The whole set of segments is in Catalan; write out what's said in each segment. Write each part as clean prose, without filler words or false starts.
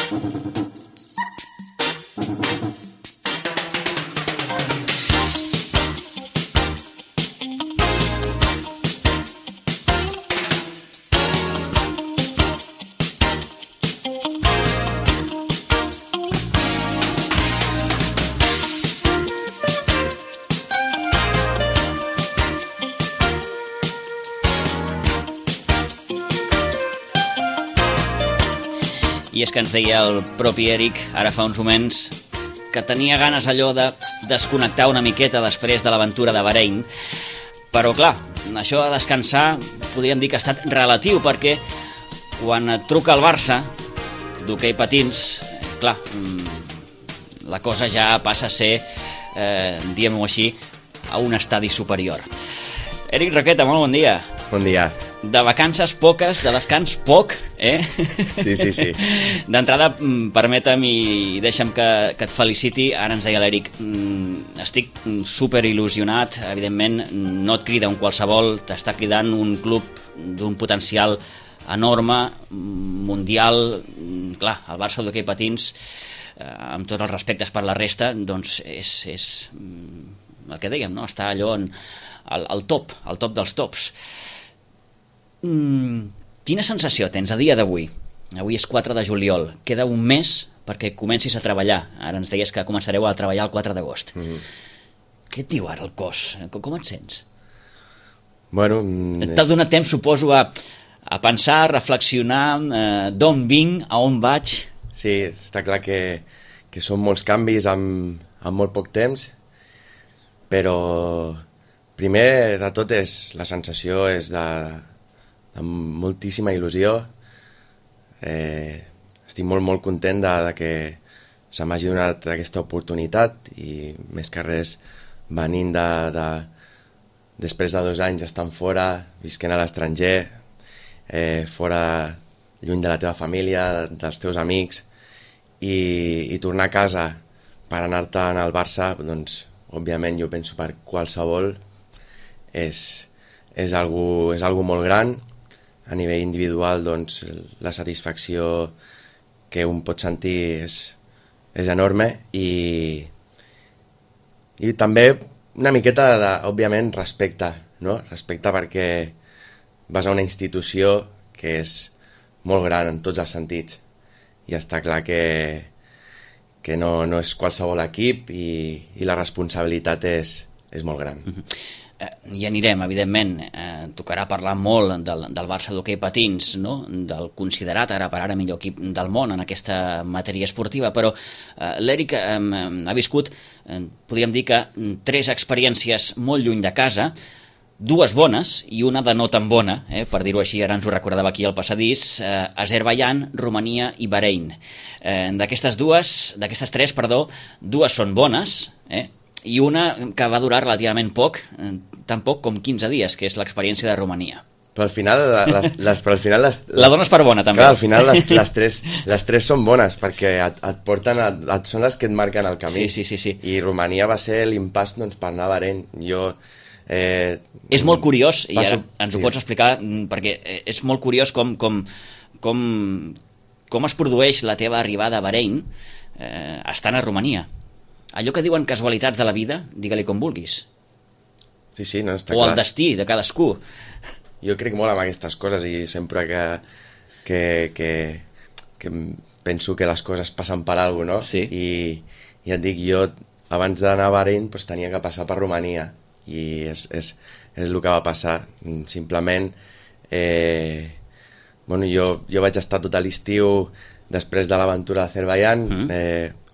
I és que ens deia el propi Eric, ara fa uns moments, que tenia ganes allò de desconnectar una miqueta després de l'aventura de Bahrein. Però clar, això de descansar podríem dir que ha estat relatiu, perquè quan et truca el Barça d'hoquei patins, clar, la cosa ja passa a ser, diguem-ho així, a un estadi superior. Eric Roqueta, molt bon dia. Bon dia. De vacances poques, de descans poc, eh? Sí. D'entrada, permetem i deixa'm que et feliciti. Ara ens deia l'Eric, estic super il·lusionat, evidentment no et crida un qualsevol, t'està cridant un club d'un potencial enorme, mundial. Clar, el Barça d'hoquei patins, amb tots els respectes per la resta, doncs és el que dèiem, no? Està allò al top dels tops. Quina sensació tens a dia d'avui? Avui és 4 de juliol, queda un mes perquè comencis a treballar. Ara ens deies que començareu a treballar el 4 d'agost. Què et diu ara el cos? Com et sents? Bueno, t'ha donat temps, suposo, a pensar, a reflexionar, d'on vinc, a on vaig? Sí, està clar que són molts canvis en molt poc temps, però primer de tot la sensació és de moltíssima il·lusió. Estic molt content de que se m'hagi donat aquesta oportunitat, i més que res venint després de 2 anys estant fora, visquent a l'estranger, fora, lluny de la teva família, dels teus amics, i tornar a casa per anar-te al Barça, doncs òbviament jo penso per qualsevol és algo molt gran. A nivell individual, doncs, la satisfacció que un pot sentir és enorme, i també una miqueta òbviament, respecte, no? Respecte perquè vas a una institució que és molt gran en tots els sentits, i està clar que no és qualsevol equip, i la responsabilitat és molt gran. Hi anirem, evidentment. Tocarà parlar molt del Barça d'hoquei patins, no? Del considerat ara per ara millor equip del món en aquesta matèria esportiva, però l'Eric ha viscut, podríem dir que 3 experiències molt lluny de casa, 2 bones i una de no tan bona, per dir-ho així, ara ens ho recordava aquí al passadís, Azerbaidjan, Romania i Bahrein. D'aquestes 3, 2 són bones, i una que va durar relativament poc, tan poc com 15 dies, que és l'experiència de Romania. Però al final la dones per bona, també. Clar, al final les tres són bones, perquè et porten, són les que et marquen el camí. Sí. I Romania va ser l'impàs, doncs, per anar a Bahrein. És molt curiós, i ara ens ho pots explicar, perquè és molt curiós com es produeix la teva arribada a Bahrein estant a Romania. Allò que diuen casualitats de la vida, digue-li com vulguis. Sí, no, està clar. O el destí de cadascú. Jo crec molt en aquestes coses, i sempre que penso que les coses passen per alguna cosa, no? Sí. I et dic, jo abans d'anar a Bahrein tenia que passar per Romania, i és el que va passar. Simplement, jo vaig estar tot l'estiu després de l'aventura d'Azerbaidjan,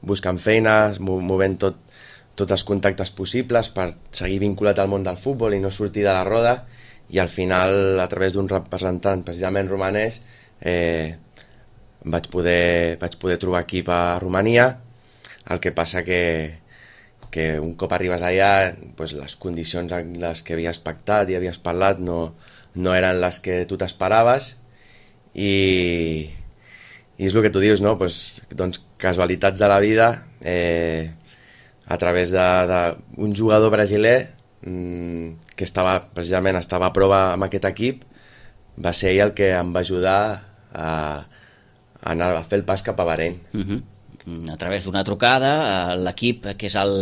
buscant feines, movent tots els contactes possibles per seguir vinculat al món del futbol i no sortir de la roda, i al final, a través d'un representant precisament romanès, vaig poder trobar equip a Romania. El que passa que un cop arribes allà, doncs les condicions en les que havies pactat i havies parlat no eren les que tu t'esperaves, i és el que tu dius, no? Doncs casualitats de la vida, a través d'un jugador brasiler que precisament estava a prova amb aquest equip, va ser ell el que em va ajudar a anar a fer el pas cap a Bahrein. A través d'una trucada, l'equip, que és el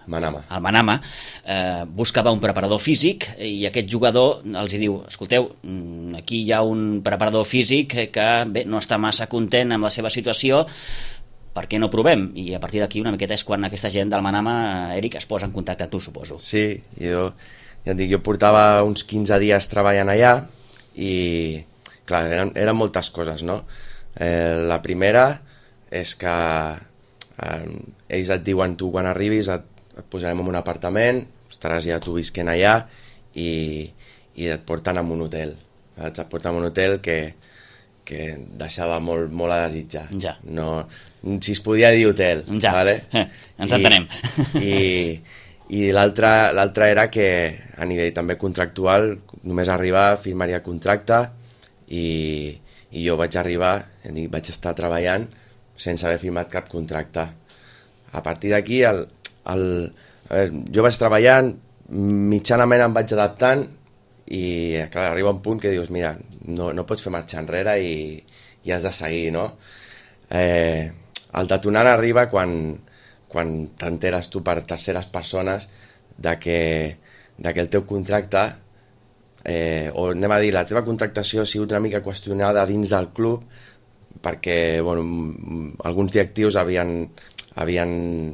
Manama, buscava un preparador físic i aquest jugador els diu: escolteu, aquí hi ha un preparador físic que bé, no està massa content amb la seva situació, per què no provem? I a partir d'aquí una miqueta és quan aquesta gent del Manama, Eric, es posa en contacte amb tu, suposo. Sí, jo portava uns 15 dies treballant allà i clar, eren moltes coses, no? La primera és que ells et diuen: tu quan arribis et posarem en un apartament, estaràs ja tu visquent allà i et porten a un hotel, saps? Et porten a un hotel que deixava molt a desitjar. Ja. No, si es podia dir hotel, ja. Vale? Ens entenem. I l'altra era que a nivell també contractual, només arribar, firmaria contracte i jo vaig arribar, vaig estar treballant sense haver firmat cap contracte. A partir d'aquí jo vaig treballant, mitjanament em vaig adaptant i clar, arriba un punt que dius: mira, no pots fer marxa enrere i has de seguir, no? El detonant arriba quan t'enteres tu per terceres persones que el teu contracte, o anem a dir, la teva contractació ha sigut una mica qüestionada dins del club perquè alguns directius havien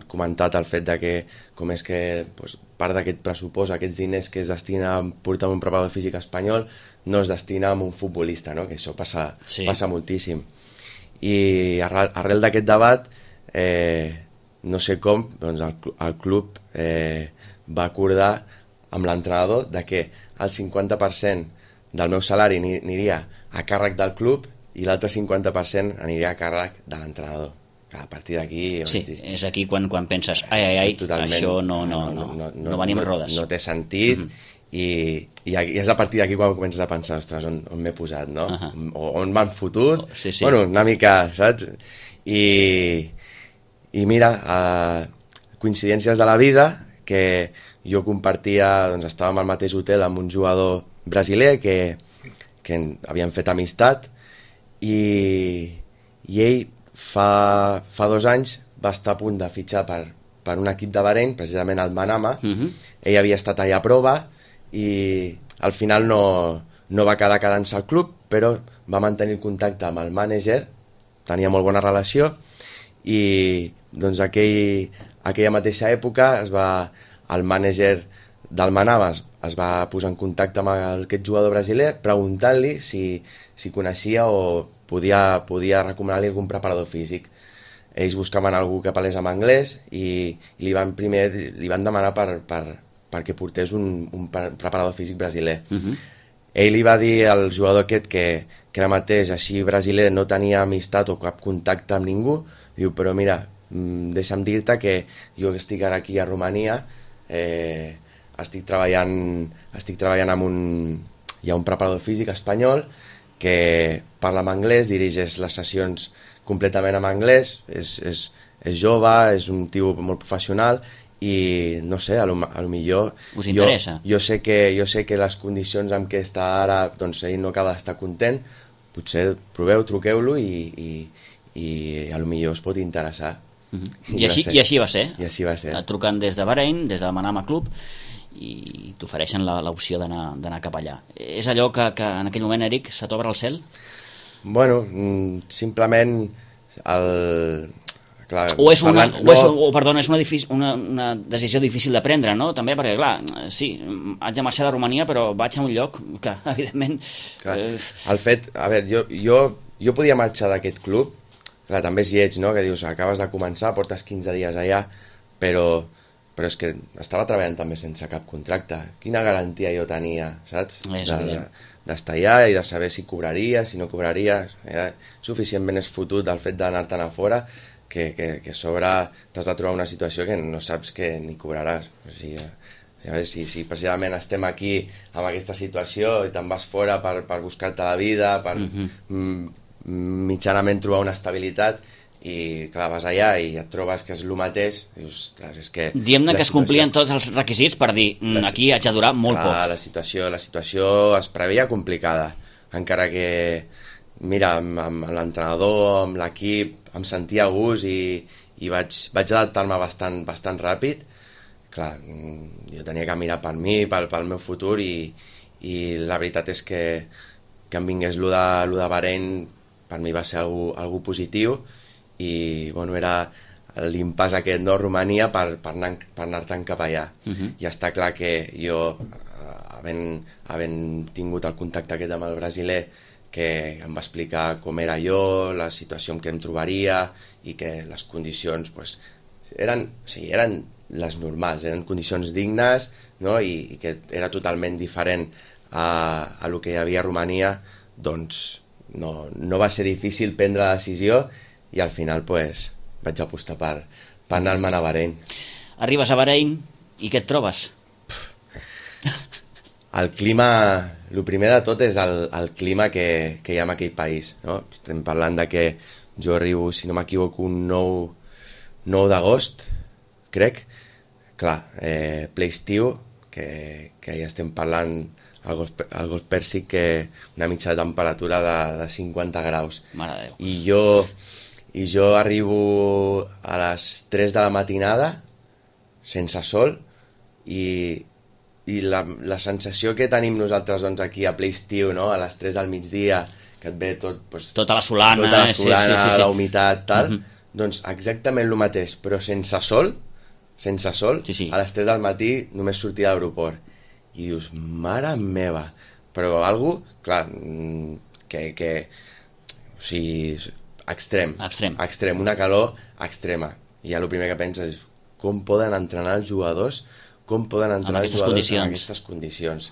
comentat el fet de que com és que part d'aquest pressupost, aquests diners que es destina a portar un preparador físic espanyol no es destina a un futbolista, no? Que això passa moltíssim. I arrel d'aquest debat, no sé com, doncs el club va acordar amb l'entrenador de que el 50% del meu salari aniria a càrrec del club i l'altre 50% aniria a càrrec de l'entrenador. A partir d'aquí... Sí, és aquí quan penses: ai, això no venim a rodes. No té sentit, i és a partir d'aquí quan comences a pensar: ostres, on m'he posat, no? O on m'han fotut? Sí. Bueno, una mica, saps? I mira, coincidències de la vida, que jo compartia, doncs estàvem al mateix hotel amb un jugador brasiler que havíem fet amistat, i ell fa 2 anys va estar a punt de fitxar per un equip de Bahrein, precisament el Manama. Ell havia estat allà a prova i al final no va quedar quedant-se al club, però va mantenir el contacte amb el mànager, tenia molt bona relació, i doncs aquella mateixa època el mànager del Manama es va posar en contacte amb aquest jugador brasiler preguntant-li si coneixia o podia recomanar-li algun preparador físic. Ells buscaven algú que parlés amb anglès i li van demanar perquè portés un preparador físic brasiler. Ell li va dir al jugador aquest que ara mateix, així brasiler, no tenia amistat o cap contacte amb ningú. Diu: però mira, deixa'm dir-te que jo estic ara aquí a Romania, estic treballant amb hi ha un preparador físic espanyol que parla en anglès, dirigeix les sessions completament en anglès, és jove, és un tio molt professional i no sé, a lo millor us interessa? Jo sé que les condicions en què està ara, doncs ell no acaba d'estar content, potser proveu, truqueu-lo i a lo millor us pot interessar. I així va ser. I així va ser. Trucant des de Bahrein, des del Manama Club, i t'ofereixen l'opció d'anar cap allà. És allò que en aquell moment, Eric, se t'obre el cel? Bueno, simplement clar, o és una decisió difícil de prendre, no? També perquè, clar, sí, haig de marxar de Romania, però vaig a un lloc que, evidentment... Clar, el fet... A veure, jo podia marxar d'aquest club, clar, també és lleig, no?, que dius, acabes de començar, portes 15 dies allà, però és que estava treballant també sense cap contracte. Quina garantia jo tenia, saps? D'estar allà i de saber si cobraria, si no cobraria. Era suficientment esfotut del fet d'anar-te'n a fora que a sobre t'has de trobar una situació que no saps que ni cobraràs. O sigui, a veure, si precisament estem aquí amb aquesta situació i te'n vas fora per buscar-te la vida, per mitjanament trobar una estabilitat, i clar, vas allà i et trobes que és el mateix, dius, ostres, és que... Diem-ne que es complien tots els requisits per dir, aquí haig de durar molt poc. La situació es preveia complicada, encara que mira, amb l'entrenador, amb l'equip, em sentia a gust i vaig adaptar-me bastant ràpid. Clar, jo tenia que mirar per mi, pel meu futur, i la veritat és que em vingués lo de Bahrein per mi va ser algo positiu, i bueno, era l'impàs aquest, no? Romania, per anar-te'n cap allà. I està clar que jo, havent tingut el contacte aquest amb el brasiler, que em va explicar com era jo, la situació en què em trobaria, i que les condicions pues, eren les normals, eren condicions dignes, no? I que era totalment diferent a lo que hi havia a Romania, doncs no va ser difícil prendre la decisió, i al final pues, vaig apostar per anar-me'n a Bahrein. Arribes a Bahrein i què et trobes? El clima, el primer de tot és el clima que hi ha en aquell país, no? Estem parlant de que jo arribo, si no m'equivoco, un 9 d'agost, crec. Clar, ple estiu, que ja estem parlant al Golf Pèrsic, que una mitja de temperatura de 50 graus. Mare de Déu. I jo arribo a les 3 de la matinada, sense sol, i la sensació que tenim nosaltres doncs, aquí a ple estiu, no? A les 3 del migdia, que et ve tot... Pues, tota la solana, sí. La humitat, tal, doncs exactament el mateix, però sense sol, sí. A les 3 del matí només sortia de l'aeroport. I dius, mare meva, però algú, clar, que o sigui, extrem, una calor extrema. I ja el primer que penses és com poden entrenar els jugadors, en aquestes condicions.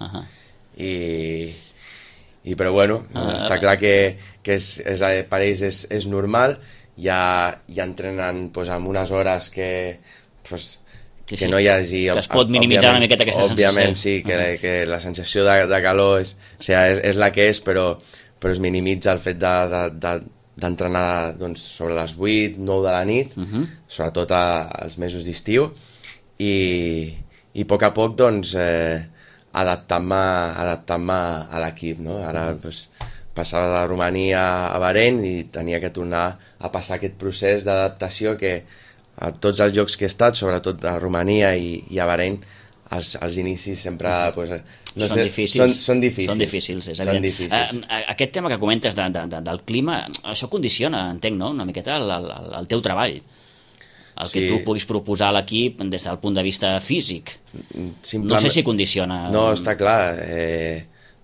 I però bueno, està clar que per ells és normal, ja entrenen pues, amb unes hores que no hi hagi... Que es pot minimitzar una miqueta aquesta sensació. Òbviament, sí, que la sensació de calor és la que és, però es minimitza el fet d'entrenar doncs, sobre les 8, 9 de la nit, sobretot als mesos d'estiu, i a poc doncs, adaptant-me a l'equip, no? Ara doncs, passava de Romania a Bahrein i tenia que tornar a passar aquest procés d'adaptació que a tots els jocs que he estat, sobretot a Romania i a Bahrein, els inicis sempre pues, són difícils. Són difícils, és evident. Aquest tema que comentes del clima, això condiciona, entenc, no? Una miqueta el teu treball, el que tu puguis proposar a l'equip des del punt de vista físic. No sé si condiciona... No, està clar.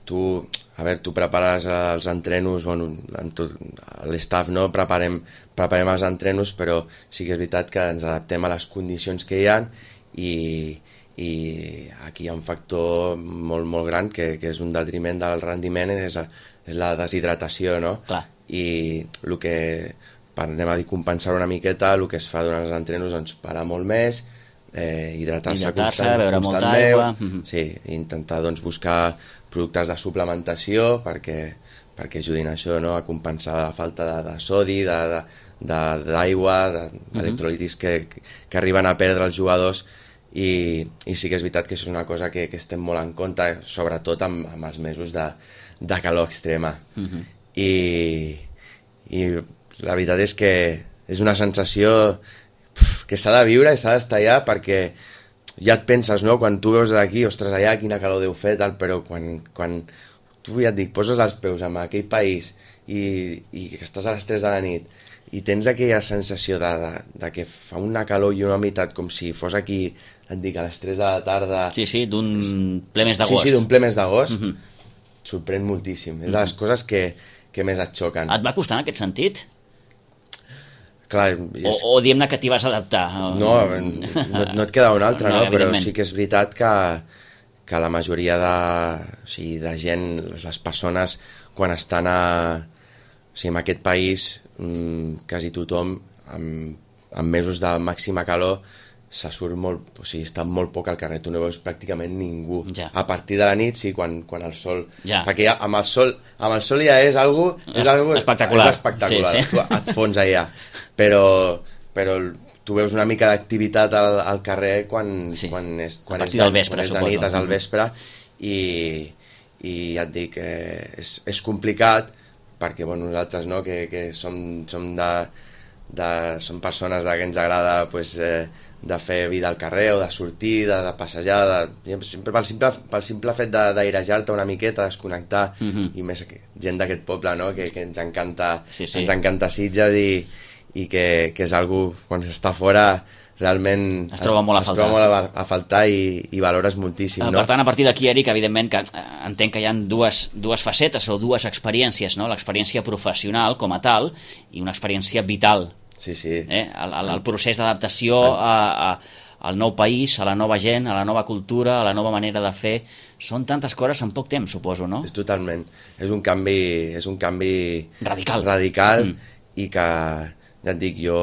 Tu prepares els entrenos, bueno, l'estaf, no? Preparem els entrenos, però sí que és veritat que ens adaptem a les condicions que hi ha, i aquí hi ha un factor molt gran que és un detriment del rendiment, és la deshidratació, no? Clar. I el que, anem a dir, compensar una miqueta, el que es fa durant els entrenos, doncs parar molt més, hidratar-se beure molta aigua. Sí, intentar doncs, buscar productes de suplementació perquè ajudin a això, no? A compensar la falta de sodi, d'aigua, d'electrolitis que arriben a perdre els jugadors, i sí que és veritat que això és una cosa que estem molt en compte, sobretot amb els mesos de calor extrema. I la veritat és que és una sensació que s'ha de viure i s'ha d'estar allà, perquè ja et penses, no? Quan tu veus d'aquí, ostres, allà quina calor deu fer, tal, però quan tu, ja et dic, poses els peus en aquell país i que estàs a les 3 de la nit i tens aquella sensació de que fa una calor i una humitat com si fos aquí, et dic, a les 3 de la tarda... Sí, d'un ple mes d'agost. Sí, d'un ple mes d'agost, sorprèn moltíssim. És de les coses que més et xoquen. Et va costar en aquest sentit? Clar, o diguem-ne que t'hi vas adaptar? No et queda una altra, no? Però sí que és veritat que la majoria de gent, les persones, quan estan en aquest país, quasi tothom, en mesos de màxima calor, se surt molt, o sigui, està molt poc al carrer, tu no veus pràcticament ningú. Ja. A partir de la nit, sí, quan el sol... Ja. Perquè ja, amb el sol ja és algo espectacular. És espectacular, sí. Tu et fons allà. Però tu veus una mica d'activitat al carrer quan és del vespre, és de nit, és al vespre, i ja et dic, és complicat, perquè bueno, nosaltres no, que som persones que ens agrada pues, de fer vida al carrer o de sortir, de passejar, sempre pel simple fet d'airejar-te una miqueta, desconnectar, i més gent d'aquest poble, no? que ens encanta, ens encanta Sitges i que és algo quan s'està fora realment es troba molt a faltar i valores moltíssim. No? Per tant, a partir d'aquí, Eric, evidentment que entenc que hi ha dues facetes o dues experiències, no? L'experiència professional com a tal i una experiència vital. Sí. El procés d'adaptació al nou país, a la nova gent, a la nova cultura, a la nova manera de fer, són tantes coses en poc temps, suposo, no? És totalment. És un canvi radical. I que, ja et dic, jo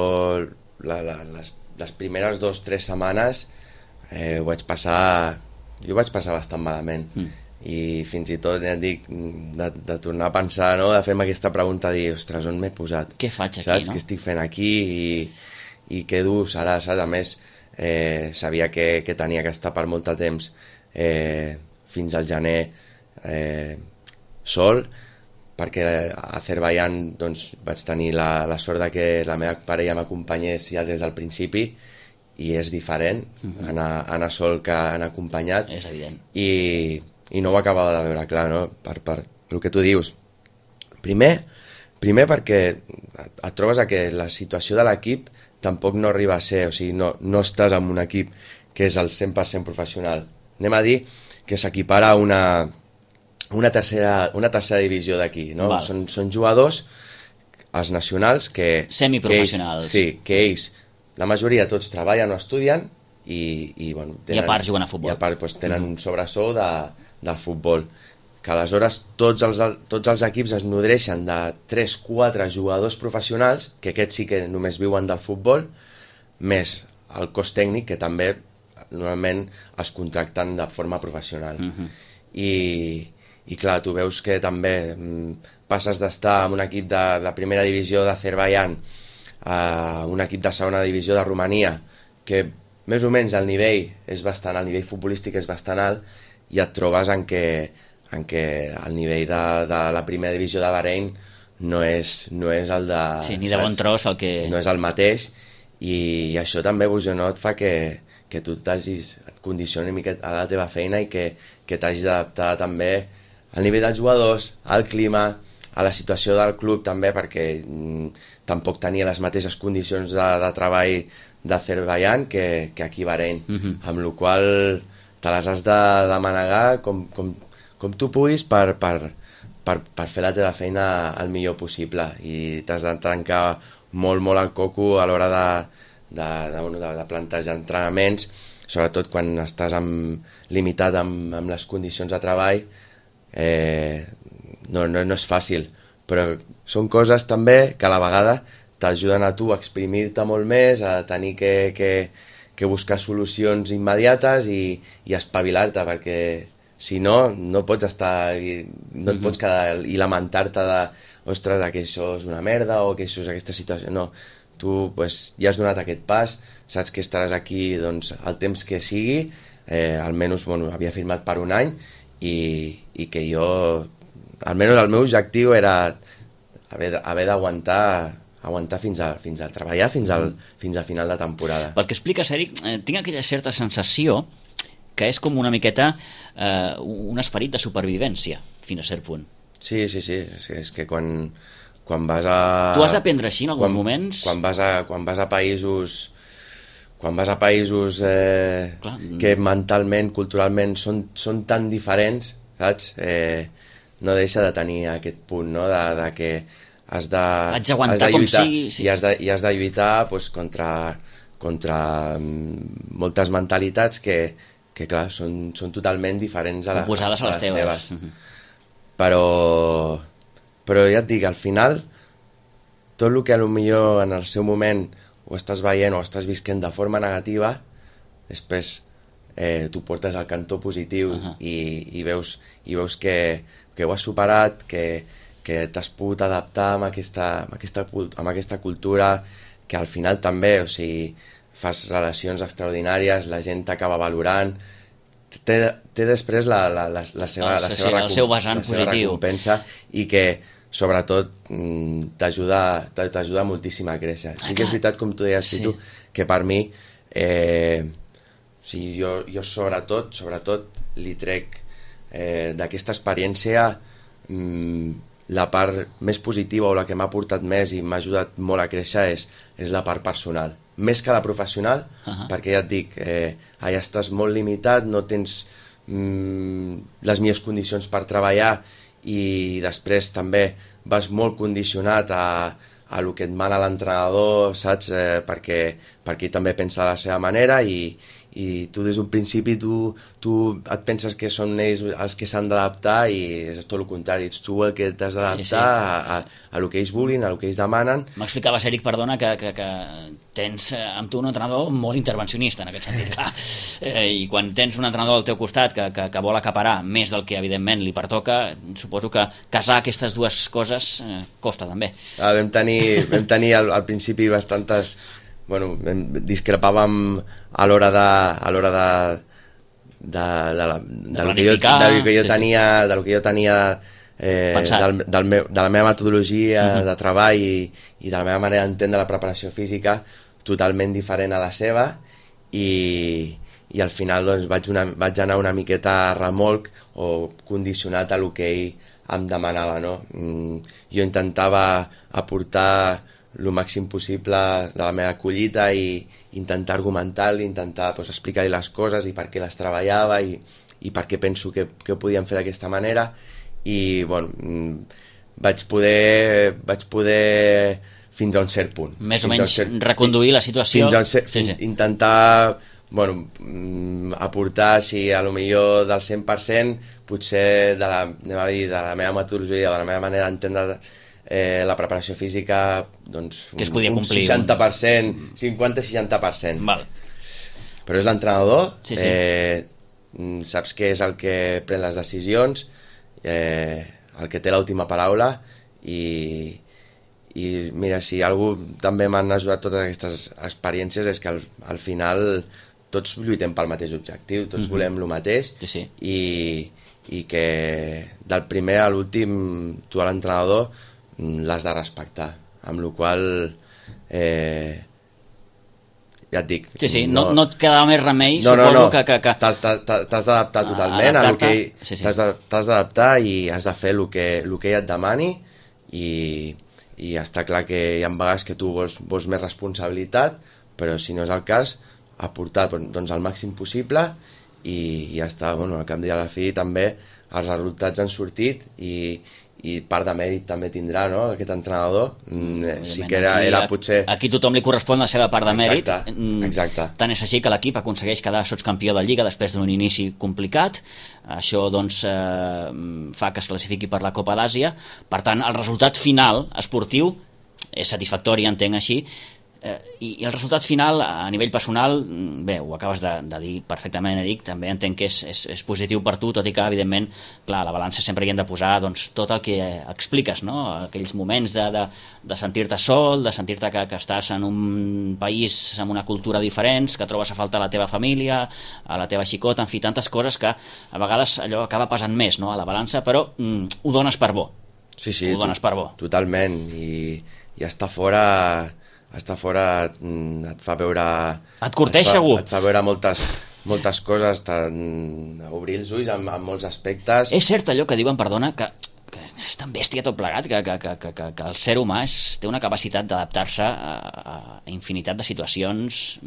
les primeres 2 o 3 setmanes ho vaig passar bastant malament. I fins i tot, ja et dic, de tornar a pensar, no? De fer-me aquesta pregunta, dir, ostres, on m'he posat? Què faig aquí, saps? No? Què estic fent aquí i què dur serà, saps? A més, sabia que tenia que estar per molt de temps fins al gener sol, perquè a Azerbaiyán doncs, vaig tenir la sort de que la meva parella m'acompanyés ja des del principi, i és diferent anar sol que anar acompanyat. És evident. I no ho acabava de veure clar, no? Per el que tu dius. Primer perquè et trobes que la situació de l'equip tampoc no arriba a ser, o sigui, no estàs en un equip que és el 100% professional. Anem a dir que s'equipara a una tercera divisió d'aquí, no? Són jugadors, els nacionals, que semiprofessionals. Que ells, la majoria tots treballen o estudien i bueno, i a part juguen a futbol. I a part doncs, tenen un sobresou del futbol. Que aleshores tots els equips es nodreixen de 3-4 jugadors professionals, que aquests sí que només viuen del futbol, més el cos tècnic, que també normalment es contracten de forma professional. I clar, tu veus que també passes d'estar en un equip de primera divisió d'Azerbaiyán a un equip de segona divisió de Romania, que més o menys el nivell futbolístic és bastant alt, i et trobes en què el nivell de la primera divisió de Bahrein no és el de... Sí, ni de bon tros el que... No és el mateix, i això també, no, et fa que tu et condicioni una mica a la teva feina i que t'hagis d'adaptar també al nivell dels jugadors, al clima, a la situació del club també, perquè tampoc tenia les mateixes condicions de treball d'Azerbaiyán que aquí a Bahrein, amb la qual te les has de manegar com tu puguis per fer la teva feina el millor possible, i t'has de tancar molt el coco a l'hora de plantejar entrenaments, sobretot quan estàs limitat amb les condicions de treball. No és fàcil, però són coses també que a la vegada t'ajuden a tu a exprimir-te molt més, a tenir que buscar solucions immediates i espavilar-te, perquè si no pots estar, no et pots quedar i lamentar-te de, ostres, que això és una merda o que això és aquesta situació. No, tu ja has donat aquest pas, saps que estaràs aquí doncs, el temps que sigui, almenys havia firmat per un any, i que jo, almenys el meu objectiu era haver d'aguantar fins a treballar fins al final de temporada. Pel que expliques, Eric, tinc aquella certa sensació que és com una miqueta un esperit de supervivència, fins a cert punt. Sí, és que quan vas a... Tu has d'aprendre així en alguns moments? Quan vas a països que mentalment, culturalment són tan diferents, saps? No deixa de tenir aquest punt, no? De que has d'aguantar com sigui, sí. I has de lluitar doncs, contra moltes mentalitats que clar, són totalment diferents a oposades a les teves. Però ja et dic, al final tot el que millor en el seu moment ho estàs veient o estàs visquent de forma negativa, després tu portes al cantó positiu i veus que ho has superat, que t'has pogut adaptar amb aquesta cultura, que al final també, o sigui, fas relacions extraordinàries, la gent t'acaba valorant, té després la seva el seu vessant positiu, recompensa, i que sobretot t'ajuda moltíssim a créixer. Sí que és veritat, com tu deies, tu, que per mi jo sobretot li trec d'aquesta experiència la part més positiva o la que m'ha portat més i m'ha ajudat molt a créixer és la part personal, més que la professional, perquè ja et dic, allà estàs molt limitat, no tens les millors condicions per treballar i després també vas molt condicionat a lo que et mana l'entrenador, saps? Perquè ell també pensa de la seva manera i tu des d'un principi tu et penses que són ells els que s'han d'adaptar i és tot el contrari, ets tu el que t'has d'adaptar a lo que ells vulguin, a lo que ells demanen. M'explicaves, Eric, perdona, que tens amb tu un entrenador molt intervencionista en aquest sentit, clar. I quan tens un entrenador al teu costat que vol acaparar més del que evidentment li pertoca, suposo que casar aquestes dues coses costa també. Vam tenir al principi bastantes... Bueno, discrepàvem a l'hora de lo que jo tenia de la meva metodologia de treball i de la meva manera d'entendre la preparació física totalment diferent a la seva i al final doncs, vaig anar una miqueta a remolc o condicionat a lo que ell em demanava, no? Jo intentava aportar el màxim possible de la meva collita i intentar argumentar-li, intentar explicar-li les coses i per què les treballava i per què penso que ho podíem fer d'aquesta manera i bueno, vaig poder fins a un cert punt. Més o menys reconduir la situació. Intentar aportar, si a lo millor del 100%, potser de la meva metodologia, de la meva manera d'entendre la preparació física, doncs que es podia complir 60%, 50-60%. Val. Però és l'entrenador, saps que és el que pren les decisions, el que té l'última paraula i mira, si algú també m'han ajudat totes aquestes experiències és que al final tots lluitem pel mateix objectiu, tots volem el mateix i que del primer a l'últim tu a l'entrenador l'has de respectar, amb la qual ja et dic... No et queda més remei, suposo que... T'has d'adaptar totalment a lo que t'has d'adaptar i has de fer el que ell et demani i està clar que hi ha vegades que tu vols més responsabilitat, però si no és el cas, aportar doncs, el màxim possible i ja està. Bueno, al cap i a la fi també els resultats han sortit i part de mèrit també tindrà, no?, aquest entrenador. Sí que era potser... Aquí tothom li correspon la seva part de mèrit. Exacte. Tant és així que l'equip aconsegueix quedar sotscampió de Lliga després d'un inici complicat. Això doncs fa que es classifiqui per la Copa d'Àsia. Per tant, el resultat final esportiu és satisfactori, entenc així, i el resultat final a nivell personal, bé, ho acabes de dir perfectament, Eric, també entenc que és positiu per tu, tot i que evidentment, clar, a la balança sempre hi hem de posar doncs, tot el que expliques, no? Aquells moments de sentir-te sol, de sentir-te que estàs en un país amb una cultura diferent, que trobes a faltar la teva família, a la teva xicota, en fi, tantes coses que a vegades allò acaba pesant més, no?, a la balança, però ho dones per bo. Sí, ho dones per bo. Totalment, i estar fora et fa veure... Et corteix, segur. Et fa veure moltes coses, obrir els ulls en molts aspectes. És cert allò que diuen, perdona, que és tan bèstia tot plegat, que el ser humà té una capacitat d'adaptar-se a infinitat de situacions,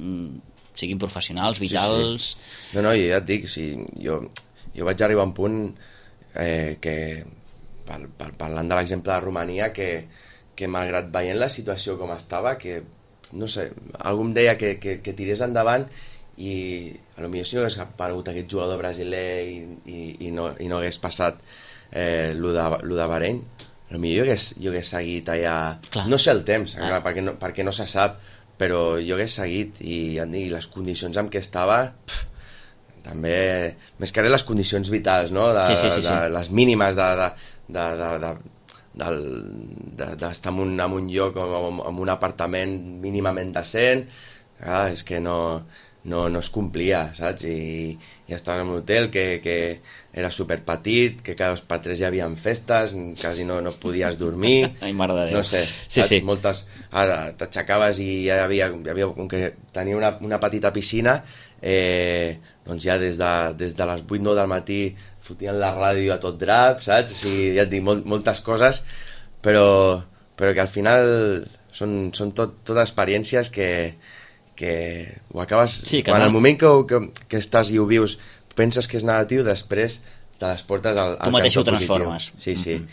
siguin professionals, vitals... Sí. No, ja et dic, jo vaig arribar a un punt que, parlant de l'exemple de Romania, que malgrat veient la situació com estava, que, no sé, algú em deia que tirés endavant i potser si no hagués aparegut aquest jugador brasiler i no hagués passat lo de Bahrein, potser jo hagués seguit allà... Clar. No sé el temps, clar, perquè no se sap, però jo hagués seguit i les condicions en què estava... també, més que res les condicions vitals, no? Les mínimes d'estar en un lloc amb un apartament mínimament decent, és que no no es complia, saps? I estaves en un hotel que era superpetit, que cada 2 per 3 hi havia festes, quasi no podies dormir. Ai, mare de Déu. No sé, sí, saps? sí. Moltes... Ara t'aixecaves i hi havia com que tenia una petita piscina, doncs ja des de les 8-9 del matí fotien la ràdio a tot drap, saps? O sigui, ja et dic, moltes coses, però que al final són tot experiències que ho acabes... Sí, que en no. el moment que estàs i ho vius, penses que és negatiu, després te les portes al tu mateix ho cantó transformes. positiu. Sí.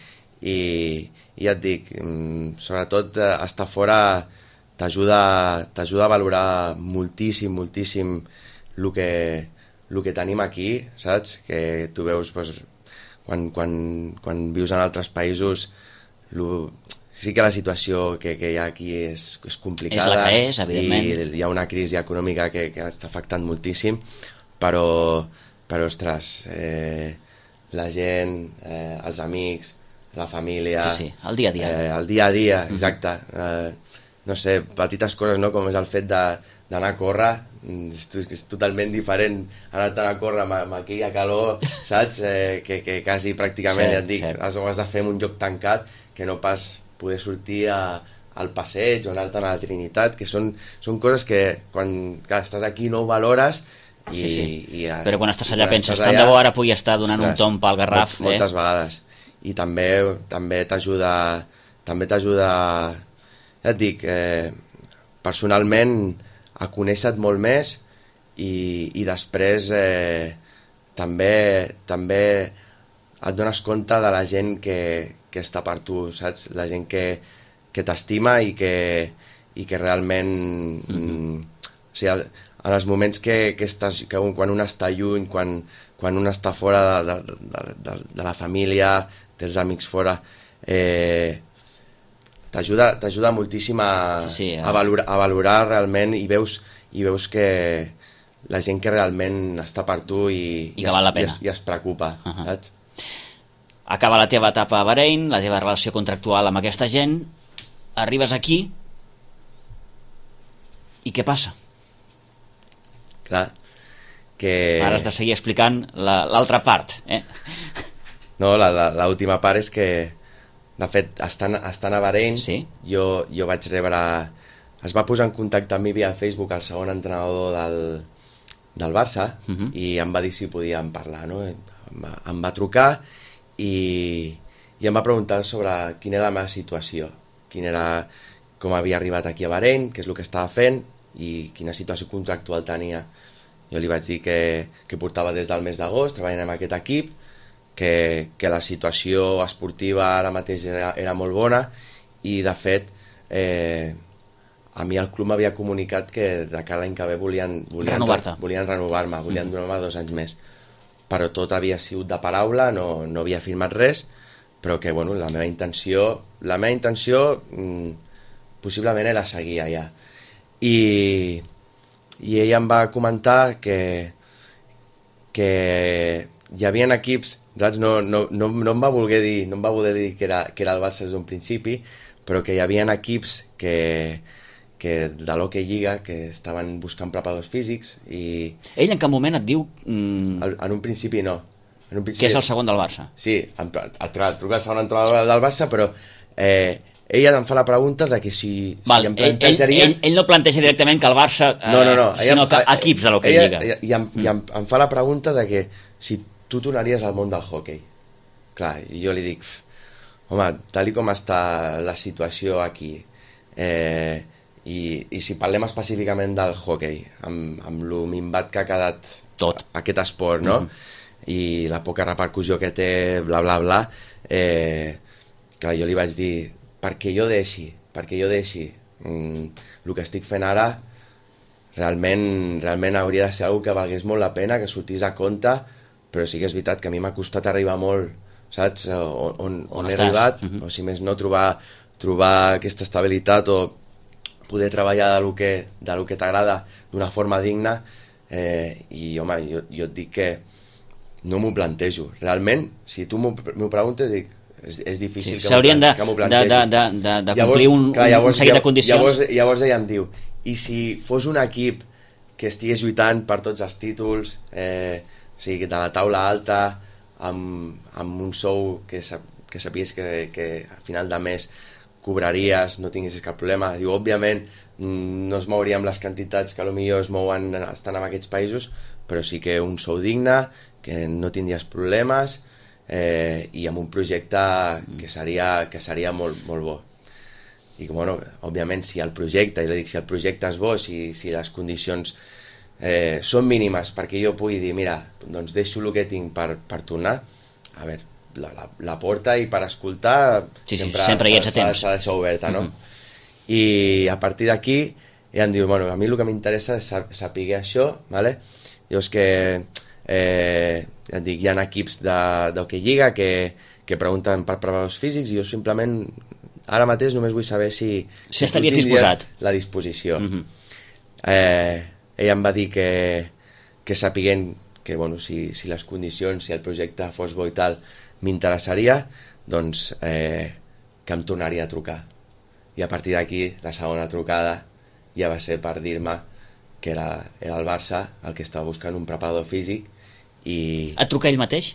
I ja et dic, sobretot estar fora t'ajuda a valorar moltíssim el que tenim aquí, saps? Que tu veus doncs, quan vius en altres països sí que la situació que hi ha aquí és complicada. És la que és, evidentment. I hi ha una crisi econòmica que està afectant moltíssim, però ostres, la gent, els amics, la família... Sí, el dia a dia. El dia a dia, exacte. No sé, petites coses, no? Com és el fet d'anar a córrer, és totalment diferent anar-te'n a córrer amb aquella calor, saps? Que quasi pràcticament, ja et dic, ho has de fer en un lloc tancat, que no pas poder sortir al passeig o anar-te'n a la Trinitat, que són coses que quan estàs aquí no ho valores. Però quan estàs allà penses, tant de bo ara pugui estar donant un tomb pel Garraf. Moltes vegades. I també t'ajuda, ja et dic, personalment a conèixer-te molt més i després també et dones compte de la gent que està per tu, saps? La gent que t'estima i que realment... O sigui, en els moments que quan un està lluny, quan un està fora de la família, té els amics fora, t'ajuda moltíssim a valorar realment i veus que la gent que realment està per tu i que val la pena. I es preocupa, saps? Acaba la teva etapa a Bahrein, la teva relació contractual amb aquesta gent, arribes aquí i què passa? Clar, que... Ara has de seguir explicant l'altra part, No, l'última part és que, de fet, estant a Bahrein, sí? jo vaig rebre... Es va posar en contacte amb mi via Facebook el segon entrenador del Barça i em va dir si podíem parlar, no? Em va trucar i em va preguntar sobre quina era la meva situació, com havia arribat aquí a Bahrein, què és el que estava fent i quina situació contractual tenia. Jo li vaig dir que portava des del mes d'agost treballant amb aquest equip, que la situació esportiva ara mateix era molt bona i de fet a mi el club m'havia comunicat que de cara a l'any que ve volien renovar-me, volien donar-me 2 anys més, però tot havia sigut de paraula, no havia firmat res, però que bueno, la meva intenció possiblement era seguir allà. I ell em va comentar que hi havia equips, saps? No em va voler dir que era el Barça des d'un principi, però que hi havia equips que de l'Hockey Lliga que estaven buscant preparadors físics i... Ell en cap moment et diu... En un principi no. Que és el segon del Barça. Sí, truca el segon entrenador del Barça, però ella em fa la pregunta de que si em plantejaria... Ell no planteja directament que el Barça... No. Sinó que equips de l'Hockey Lliga. I em fa la pregunta de que si tu tornaries al món del hockey. Clar, i jo li dic, home, tal com està la situació aquí, i si parlem específicament del hockey, amb lo minvat que ha quedat tot aquest esport, no? I la poca repercussió que té, bla, bla, bla, clar, jo li vaig dir, perquè jo deixi el que estic fent ara, realment hauria de ser una cosa que valgués molt la pena, que sortís a compte, però sí que és veritat que a mi m'ha costat arribar molt, saps? On he arribat, o si més no trobar aquesta estabilitat o poder treballar del que t'agrada d'una forma digna, i home, jo et dic que no m'ho plantejo. Realment, si tu m'ho preguntes, dic, és difícil que m'ho plantegi. De complir un seguit de condicions. Llavors ella em diu, i si fos un equip que estigués lluitant per tots els títols, o sigui, de la taula alta, amb un sou que sapies que a final de mes cobraries, no tinguessis cap problema. Diu, òbviament, no es mouríem les quantitats que potser es mouen estant en aquests països, però sí que un sou digne, que no tindries problemes, i amb un projecte que seria molt, molt bo. I bueno, òbviament, si el projecte, si el projecte és bo, si les condicions són mínimes perquè jo pugui dir, mira, doncs deixo el que tinc per tornar, a veure, la porta, i per escoltar sempre hi ets a temps, s'ha de deixar oberta, no? I a partir d'aquí ja em diu, bueno, a mi el que m'interessa és saber això, ¿vale? Llavors que ja et dic, hi ha equips d'Hockey Lliga que pregunten per preparadors físics, i jo simplement ara mateix només vull saber si estaries disposat, la disposició. Ella em va dir que sapiguent que bueno, si les condicions, si el projecte fos bo i tal, m'interessaria, doncs que em tornaria a trucar. I a partir d'aquí, la segona trucada ja va ser per dir-me que era el Barça el que estava buscant un preparador físic. Et truca ell mateix?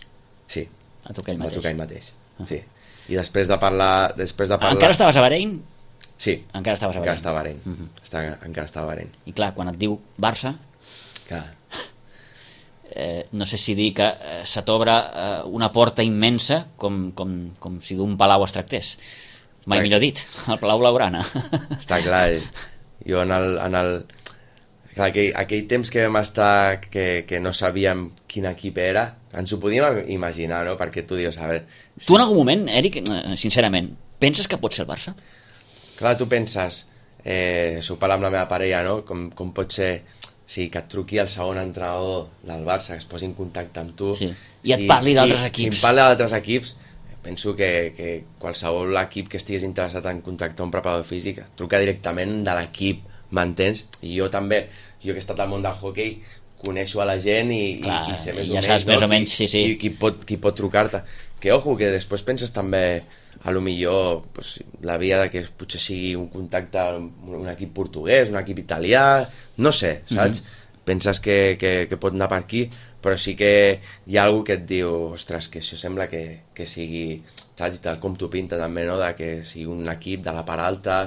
Sí, et truca ell mateix. Sí. I després de parlar... Encara estaves a Bahrein? Sí, encara estava a Bahrein. Encara estava a Bahrein. I clar, quan et diu Barça, no sé si dir que se t'obre una porta immensa com si d'un palau es tractés. Mai millor dit, el Palau Blaugrana. Està clar, jo clar, aquell temps que vam estar que no sabíem quin equip era, ens ho podíem imaginar, no? Perquè tu dius, a veure... Tu en algun moment, Eric, sincerament, penses que pot ser el Barça? Clar, tu penses, s'ho parla amb la meva parella, no? Com pot ser, que et truqui el segon entrenador del Barça, que es posi en contacte amb tu... Sí. I et parli d'altres equips. Si em parla d'altres equips, penso que qualsevol equip que estigués interessat en contactar un preparador físic truca directament de l'equip, m'entens? I jo també, jo que he estat al món del hoquei, coneixo a la gent i sé més o menys qui pot trucar-te. Que ojo, que després penses també a lo millor la via de que potser sigui un contacte amb un equip portuguès, un equip italià, no sé, saps? Penses que pot anar per aquí, però sí que hi ha algú que et diu, ostres, que això sembla que sigui, saps, tal com t'ho pinta també, no? De que sigui un equip de la part alta,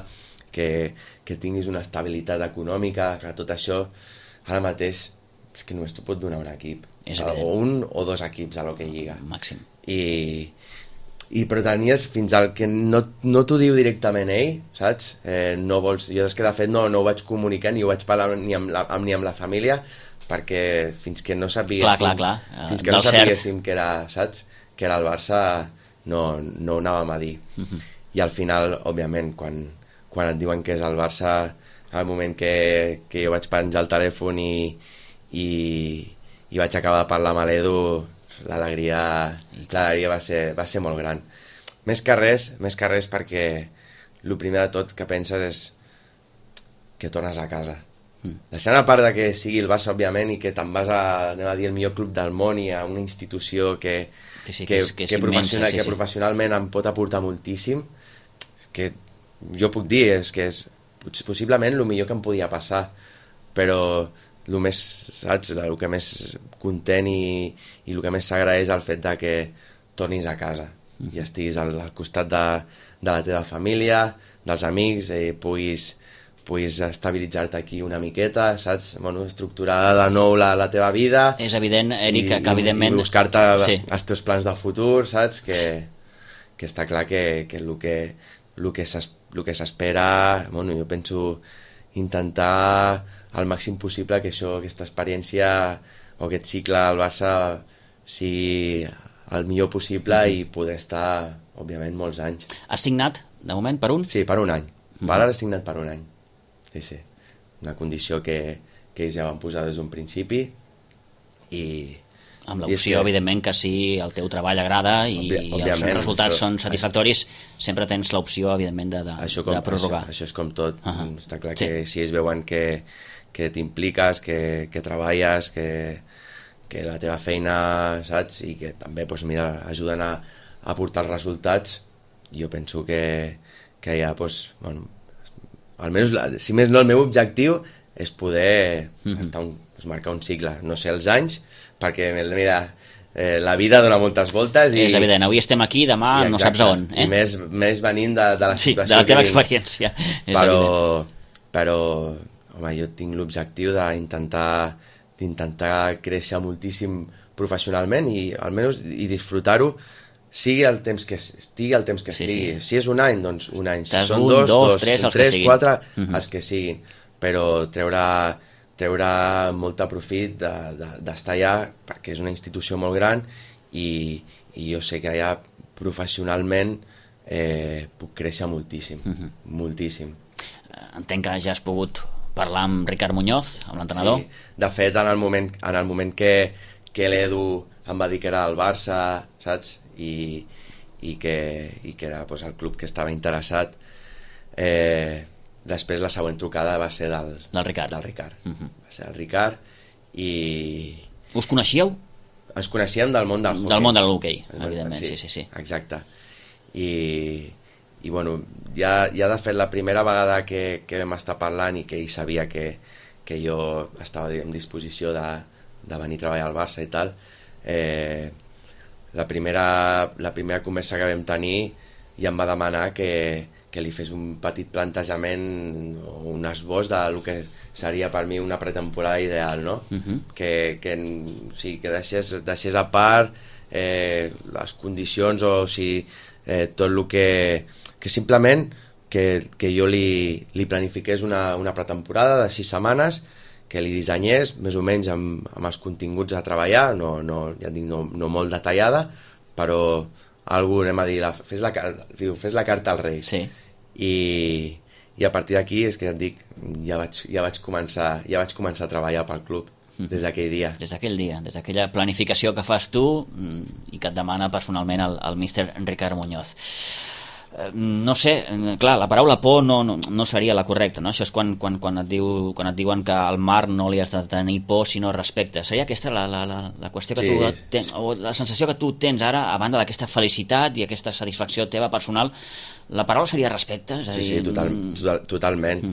que tinguis una estabilitat econòmica, que tot això ara mateix és que només t'ho pot donar un equip, o un o dos equips a l'Hockey Lliga màxim. I però tenies fins al que no t'ho diu directament ell, saps? No vols, jo és que de fet no ho vaig comunicar ni ho vaig parlar ni amb la família, perquè fins que no sapiguéssim fins que no sapiguéssim que era, saps? Que era el Barça, no ho anàvem a dir. I al final, òbviament, quan et diuen que és el Barça, al moment que jo vaig penjar el telèfon i vaig acabar de parlar amb l'Edu, l'alegria va ser molt gran. Més que res perquè el primer de tot que penses és que tornes a casa. Deixant a part de que sigui el Barça, òbviament, i que te'n vas anem a dir, el millor club del món i a una institució que professionalment em pot aportar moltíssim, que jo puc dir que és possiblement el millor que em podia passar, però el que més content i el que més s'agraeix el fet de que tornis a casa i estiguis al costat de la teva família, dels amics, puguis estabilitzar-te aquí una miqueta, saps? Bueno, estructurar de nou la teva vida. És evident, Eric, que evidentment... I buscar-te els teus plans de futur, saps? Que està clar que el que s'espera... Bueno, jo penso intentar al màxim possible que aquesta experiència o aquest cicle al Barça sigui el millor possible i poder estar, òbviament, molts anys. Has signat, de moment, per un? Sí, per un any. Per ara he signat per un any. Sí. Una condició que ells ja van posar des d'un principi i... Amb l'opció, evidentment, que si el teu treball agrada i els resultats són satisfactoris, sempre tens l'opció, evidentment, de prorrogar. Això és com tot. Està clar que si ells veuen que t'impliques, que treballes, que la teva feina, saps? I que també, mira, ajuden a portar els resultats, jo penso que ja, bueno, almenys, si més no, el meu objectiu és poder marcar un cicle, no sé els anys, perquè mira, la vida dona moltes voltes és evident, avui estem aquí, demà no saps a on, i més venint de la situació de la teva experiència, és però home, jo tinc l'objectiu d'intentar créixer moltíssim professionalment i almenys disfrutar-ho, sigui el temps que estigui. Si és un any, doncs un any. Si són dos, tres, 4, els que siguin. Però treure molt profit d'estar allà, perquè és una institució molt gran i jo sé que allà professionalment puc créixer moltíssim, moltíssim. Entenc que ja has pogut parlar amb Ricard Muñoz, amb l'entrenador. Sí, de fet, en el moment que l'Edu em va dir que era el Barça, saps? I que era doncs, el club que estava interessat. Després la següent trucada va ser del Ricard. Va ser el Ricard i... Us coneixíeu? Ens coneixíem del món del hoquei. Del món de l'hoquei, evidentment, sí. Exacte. I bueno, ja de fet la primera vegada que vam estar parlant i que ell sabia que jo estava en disposició de venir a treballar al Barça i tal, la primera conversa que vam tenir ja em va demanar que li fes un petit plantejament o un esbós del que seria per mi una pretemporada ideal, no? Que deixés a part les condicions o tot el que simplement que jo li planifiqués una pretemporada de 6 setmanes, que li dissenyés més o menys amb els continguts a treballar, no molt detallada, però algú, anem a dir, fes la carta als Reis. Sí. I a partir d'aquí és que ja et dic, ja vaig començar a treballar pel club des d'aquell dia. Des d'aquella planificació que fas tu i que et demana personalment el míster Ricard Muñoz. No sé, clar, la paraula por no seria la correcta, no? Això és quan et diuen que al mar no li has de tenir por sinó respecte. Seria aquesta la qüestió que tu tens, o la sensació que tu tens ara, a banda d'aquesta felicitat i aquesta satisfacció teva personal, la paraula seria respecte? És a dir, totalment.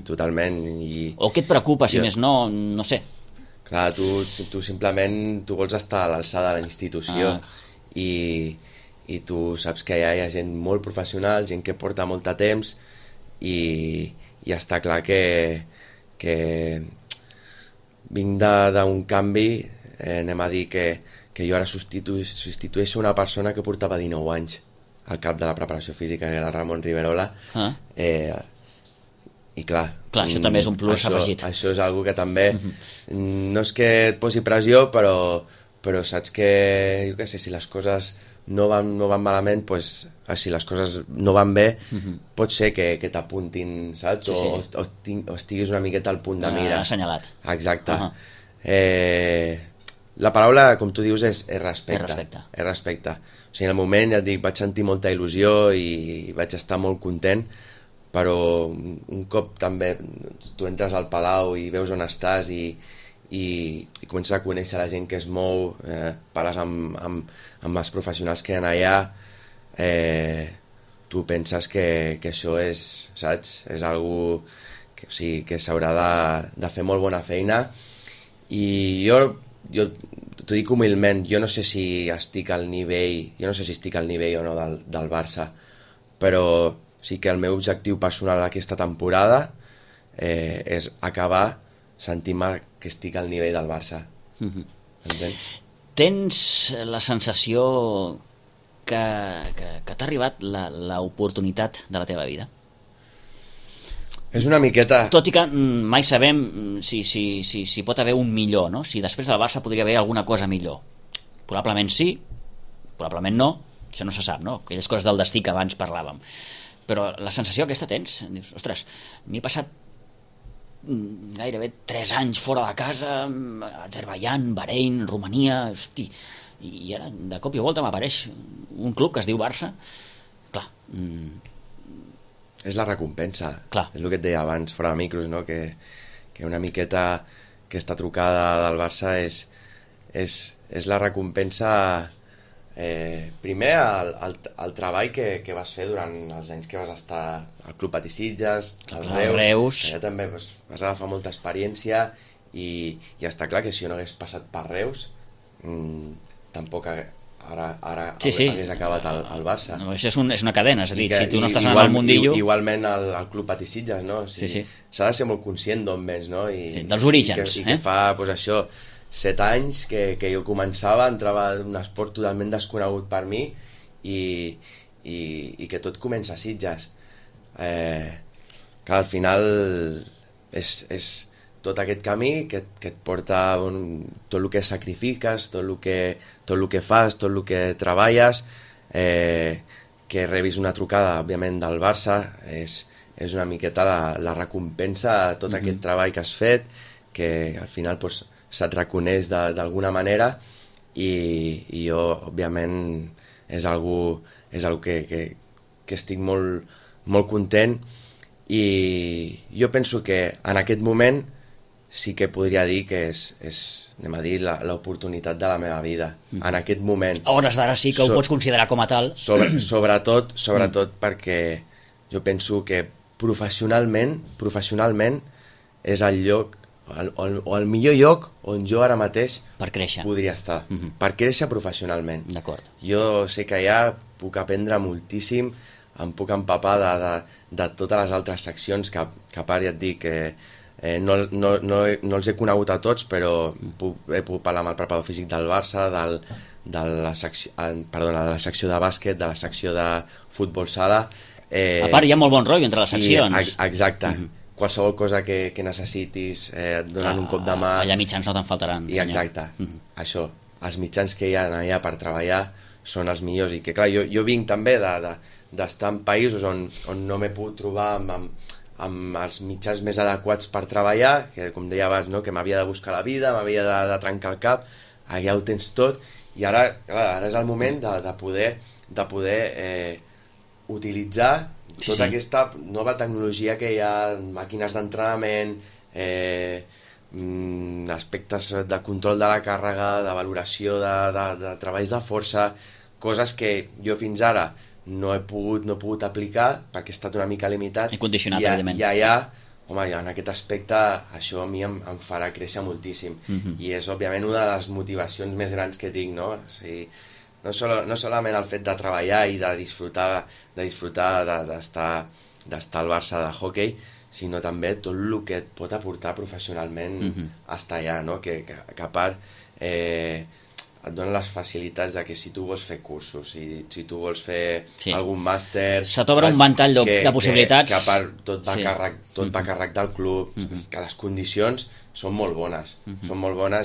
O què et preocupa, si més no sé. Clar, tu simplement vols estar a l'alçada de la institució i tu saps que allà hi ha gent molt professional, gent que porta molt de temps i està clar que vinc d'un canvi, anem a dir que jo ara substitueixo una persona que portava 19 anys al cap de la preparació física, que era Ramon Riverola, i clar, això també és un plus afegit. Això és algo que també no és que et posi pressió, però saps que, jo què sé, si les coses no van malament, pues, si les coses no van bé, pot ser que t'apuntin, saps? O estiguis una miqueta al punt de mira. Assenyalat. Exacte. La paraula, com tu dius, és respecte. És respecte. O sigui, en el moment, ja et dic, vaig sentir molta il·lusió i vaig estar molt content, però un cop també tu entres al Palau i veus on estàs i comences a conèixer la gent que es mou, parles amb els professionals que hi ha allà, tu penses que això és, saps? És algo que s'haurà de fer molt bona feina i jo t'ho dic humilment, jo no sé si estic al nivell o no del Barça, però sí que el meu objectiu personal aquesta temporada és acabar sentint-me que estic al nivell del Barça. Entens? Tens la sensació que t'ha arribat l'oportunitat de la teva vida? És una miqueta... Tot i que mai sabem si pot haver un millor, no? Si després del Barça podria haver alguna cosa millor. Probablement sí, probablement no, això no se sap, no? Aquelles coses del destí que abans parlàvem. Però la sensació aquesta tens, dius, ostres, m'he passat gairebé 3 anys fora de casa, Azerbaiyán, Bahrein, Romania, hosti, i ara de cop i volta m'apareix un club que es diu Barça. Clar, és la recompensa. Clar. És el que et deia abans fora de micros, no? Que una miqueta aquesta trucada del Barça és la recompensa Primer, el treball que vas fer durant els anys que vas estar al Club Patí Sitges, al Reus, que ja també vas agafar molta experiència i està clar que si no hagués passat per Reus, tampoc ara hagués acabat al Barça. No, això és una cadena, és a dir, si tu no estàs en el mundillo... Igualment al Club Patí Sitges, no? S'ha de ser molt conscient d'on vens, no? Dels orígens. I que fa, doncs això, 7 anys que jo començava, entrava en un esport totalment desconegut per mi i que tot comença a Sitges. Clar, al final és tot aquest camí que et porta tot el que sacrifiques, tot el que fas, tot el que treballes, que rebis una trucada, òbviament, del Barça, és una miqueta la recompensa a tot aquest treball que has fet, que al final doncs, se't reconeix d'alguna manera i jo, òbviament, és algo que estic molt content i jo penso que en aquest moment sí que podria dir que és anem a dir, l'oportunitat de la meva vida. En aquest moment... A hores d'ara sí que ho pots considerar com a tal. Sobretot perquè jo penso que professionalment és el lloc o el millor lloc on jo ara mateix podria estar, per créixer professionalment. D'acord. Jo sé que allà puc aprendre moltíssim, em puc empapar de totes les altres seccions que a part ja et dic que no els he conegut a tots, però he pogut parlar amb el preparador físic del Barça, de la secció de bàsquet, de la secció de futbol sala. A part hi ha molt bon rotllo entre les seccions. Exacte. Qualsevol cosa que necessitis, donant un cop de mà... Allà mitjans no te'n faltaran. I exacte, això, els mitjans que hi ha allà per treballar són els millors, i que clar, jo vinc també d'estar en països on no m'he pogut trobar amb els mitjans més adequats per treballar, que com deia abans, no? Que m'havia de buscar la vida, m'havia de trencar el cap, allà ho tens tot, i ara és el moment de poder utilitzar tota aquesta nova tecnologia que hi ha, màquines d'entrenament, aspectes de control de la càrrega, de valoració de treballs de força, coses que jo fins ara no he pogut aplicar perquè he estat una mica limitat. I condicionat, evidentment. I allà, home, en aquest aspecte, això a mi em farà créixer moltíssim. I és, òbviament, una de les motivacions més grans que tinc, no? O sigui, no solament el fet de treballar i de disfrutar d'estar al Barça de hoquei, sinó també tot el que et pot aportar professionalment estar allà, no? Que a part et donen les facilitats de que si tu vols fer cursos, si tu vols fer algun màster... Se t'obre un ventall de possibilitats. Que a part tot va a càrrec del club, que les condicions són molt bones,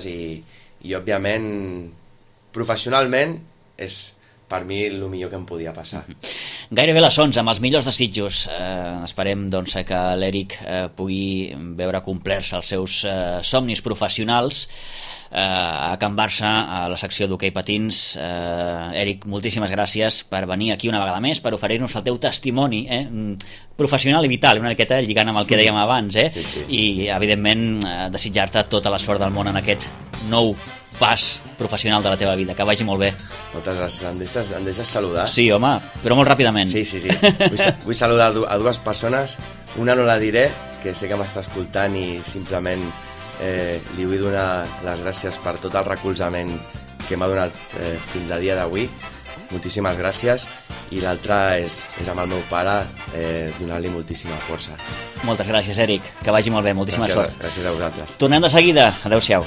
i òbviament professionalment és per mi el millor que em podia passar. Gairebé les 11, amb els millors desitjos. Esperem doncs, que l'Eric pugui veure complerts els seus somnis professionals a Can Barça, a la secció d'hoquei patins. Eric, moltíssimes gràcies per venir aquí una vegada més, per oferir-nos el teu testimoni professional i vital, una miqueta lligant amb el que dèiem abans, Sí. I evidentment desitjar-te tota la sort del món en aquest nou pas professional de la teva vida, que vagi molt bé. Moltes gràcies. Em deixes saludar? Sí, home, però molt ràpidament. Sí. Vull saludar a dues persones. Una no la diré, que sé que m'està escoltant, i simplement li vull donar les gràcies per tot el recolzament que m'ha donat fins a dia d'avui. Moltíssimes gràcies. I l'altra és amb el meu pare, donar-li moltíssima força. Moltes gràcies, Eric, que vagi molt bé, moltíssima sort. Gràcies a vosaltres. Tornem de seguida. Adéu-siau.